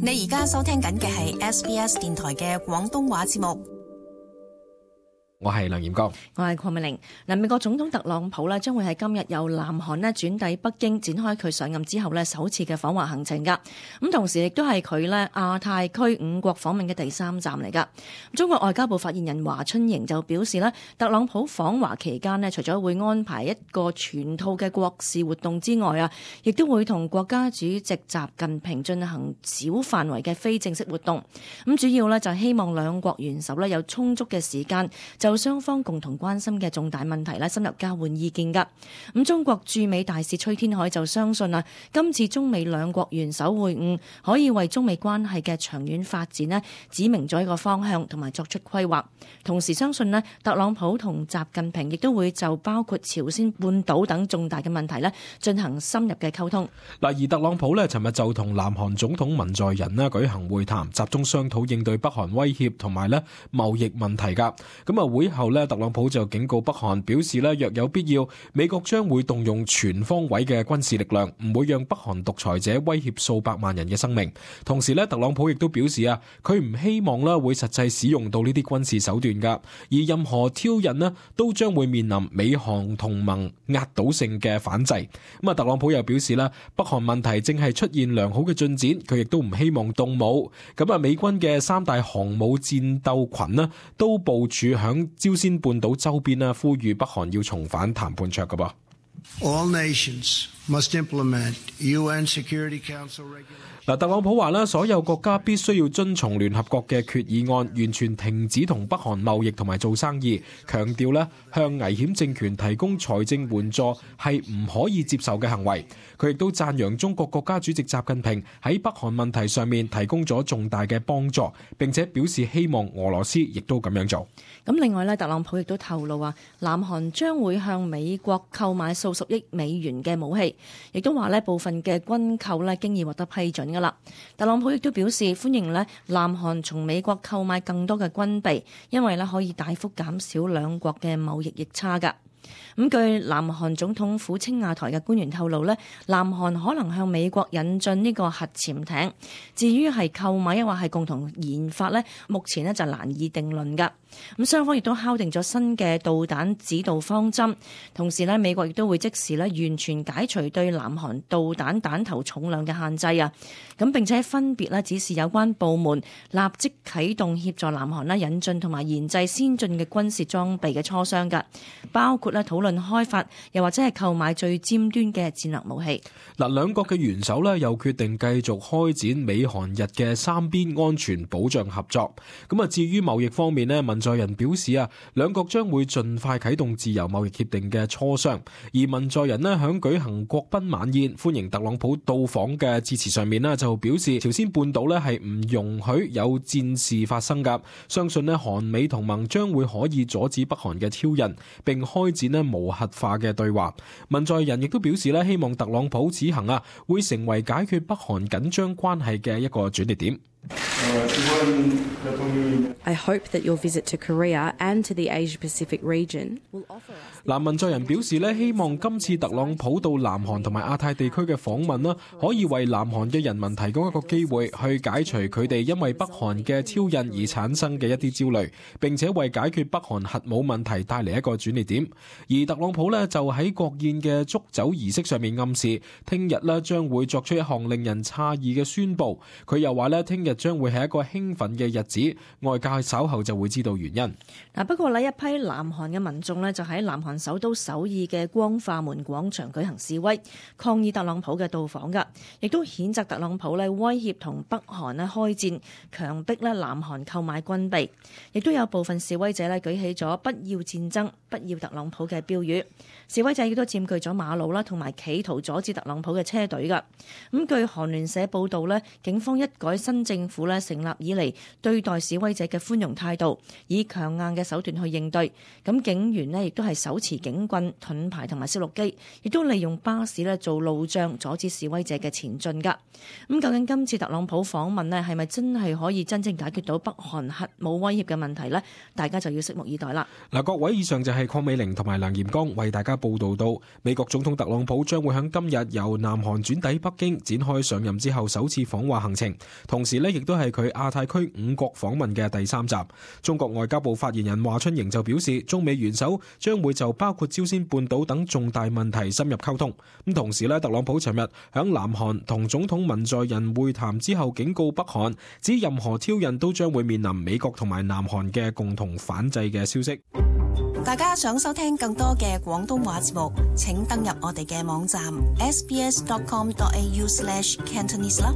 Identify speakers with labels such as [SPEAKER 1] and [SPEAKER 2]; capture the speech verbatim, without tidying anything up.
[SPEAKER 1] 你而家收聽緊嘅係 S B S 電台嘅廣東話節目。
[SPEAKER 2] 我係梁炎光，
[SPEAKER 3] 我係鄺美玲。嗱，美國總統特朗普咧將會喺今日由南韓咧轉抵北京，展開佢上任之後咧首次嘅訪華行程噶。咁同時亦都係佢咧亞太區五國訪問嘅第三站嚟噶。中國外交部發言人華春瑩就表示咧，特朗普訪華期間咧，除咗會安排一個全套嘅國事活動之外啊，亦都會同國家主席習近平進行小範圍嘅非正式活動。咁主要咧就希望兩國元首咧有充足嘅時間就雙方共同關心嘅重大問題咧，深入交換意見噶。咁中國駐美大使崔天凱就相信啊，今次中美兩國元首會晤可以為中美關係嘅長遠發展咧指明咗一個方向，同埋作出規劃。同時相信咧，特朗普同習近平亦都會就包括朝鮮半島等重大嘅問題咧進行深入嘅溝通。
[SPEAKER 2] 嗱，而特朗普咧，尋日就同南韓總統文在寅咧舉行會談，集中商討應對北韓威脅同埋咧貿易問題噶。咁啊，會後咧，特朗普就警告北韓，表示咧若有必要，美國將會動用全方位嘅軍事力量，唔會讓北韓獨裁者威脅數百萬人嘅生命。同時咧，特朗普亦都表示啊，佢唔希望咧會實際使用到呢啲軍事手段噶，而任何挑釁咧都將會面臨美韓同盟壓倒性嘅反制。咁啊，特朗普又表示咧，北韓問題正係出現良好嘅進展，佢亦都唔希望動武。咁啊，美軍嘅三大航母戰鬥群咧都部署響朝鮮半島周邊啦，呼籲北韓要重返談判桌噶噃。
[SPEAKER 4] All nations must implement U N Security Council regulations.
[SPEAKER 2] 嗱，特朗普話咧，所有國家必須要遵從聯合國嘅決議案，完全停止同北韓貿易同埋做生意。強調咧，向危險政權提供財政援助係唔可以接受嘅行為。佢亦都讚揚中國國家主席習近平喺北韓問題上面提供咗重大嘅幫助，並且表示希望俄羅斯亦都咁樣做。
[SPEAKER 3] 咁另外咧，特朗普亦都透露話，南韓將會向美國購買數十億美元嘅武器，亦都話咧部分嘅軍購咧經已獲得批准噶啦。特朗普亦都表示歡迎咧南韓從美國購買更多嘅軍備，因為咧可以大幅減少兩國嘅貿易逆差噶。咁據南韓總統府青瓦台嘅官員透露咧，南韓可能向美國引進呢個核潛艇。至於係購買抑或係共同研發咧，目前咧就難以定論噶。咁雙方亦都敲定咗新嘅導彈指導方針，同時咧美國亦都會即時咧完全解除對南韓導彈彈頭重量嘅限制啊。咁並且分別咧指示有關部門立即啟動協助南韓咧引進同埋研製先進嘅軍事裝備嘅磋商噶，包括咧討論開發又或者係購買最尖端嘅戰略武器。
[SPEAKER 2] 嗱，兩國嘅元首咧又決定繼續開展美韓日嘅三邊安全保障合作。咁啊，至於貿易方面咧，文在寅表示啊，兩國將會盡快啟動自由貿易協定嘅磋商。而文在寅咧響舉行國賓晚宴歡迎特朗普到訪嘅致辭上面咧，就表示朝鮮半島咧係唔容許有戰事發生噶，相信咧韓美同盟將會可以阻止北韓嘅挑釁，並開展咧無核化嘅對話。文在寅亦都表示咧，希望特朗普此行啊會成為解決北韓緊張關係嘅一個轉捩點。
[SPEAKER 5] I hope that your visit to Korea and to the Asia-Pacific region will offer us.
[SPEAKER 2] 嗱，文在寅表示咧，希望今次特朗普到南韓同埋亞太地區嘅訪問啦，可以為南韓嘅人民提供一個機會，去解除佢哋因為北韓嘅挑釁而產生嘅一啲焦慮，並且為解決北韓核武問題帶嚟一個轉捩點。而特朗普咧就喺國宴嘅祝酒儀式上面暗示，聽日咧將會作出一項令人詫異嘅宣佈。佢又話咧，聽日將會係一個興奮嘅日子，外界稍後就會知道原因。
[SPEAKER 3] 嗱，不過呢一批南韓嘅民眾呢，就喺南韓首都首爾嘅光化門廣場舉行示威，抗議特朗普嘅到訪噶，亦都譴責特朗普呢威脅同北韓呢開戰，強迫呢南韓購買軍備。亦都有部分示威者呢舉起咗不要戰爭、不要特朗普嘅標語。示威者亦都佔據咗馬路啦，同埋企圖阻止特朗普嘅車隊噶。咁據韓聯社報道呢，警方一改新政府呢咧成立以嚟對待示威者嘅寬容態度，以強硬嘅手段去應對。咁警員咧亦都係手持警棍、盾牌同埋攝錄機，亦都利用巴士咧做路障，阻止示威者嘅前進㗎。咁究竟今次特朗普訪問咧係咪真係可以真正解決到北韓核武威脅嘅問題呢？大家就要拭目以待啦。
[SPEAKER 2] 嗱，各位，以上就係鄺美玲同埋梁炎剛為大家報道到，美國總統特朗普將會喺今日由南韓轉抵北京，展開上任之後首次訪華行程，同時呢亦都係佢亞太區五國訪問嘅第三站。中國外交部發言人華春瑩就表示，中美元首將會就包括朝鮮半島等重大問題深入溝通。咁同時呢，特朗普尋日響南韓同總統文在寅會談之後，警告北韓，指任何挑釁都將會面臨美國同埋南韓嘅共同反制嘅消息。
[SPEAKER 1] 大家想收聽更多嘅廣東話節目，請登入我哋嘅網站 s b s dot com dot a u slash cantonese 啦。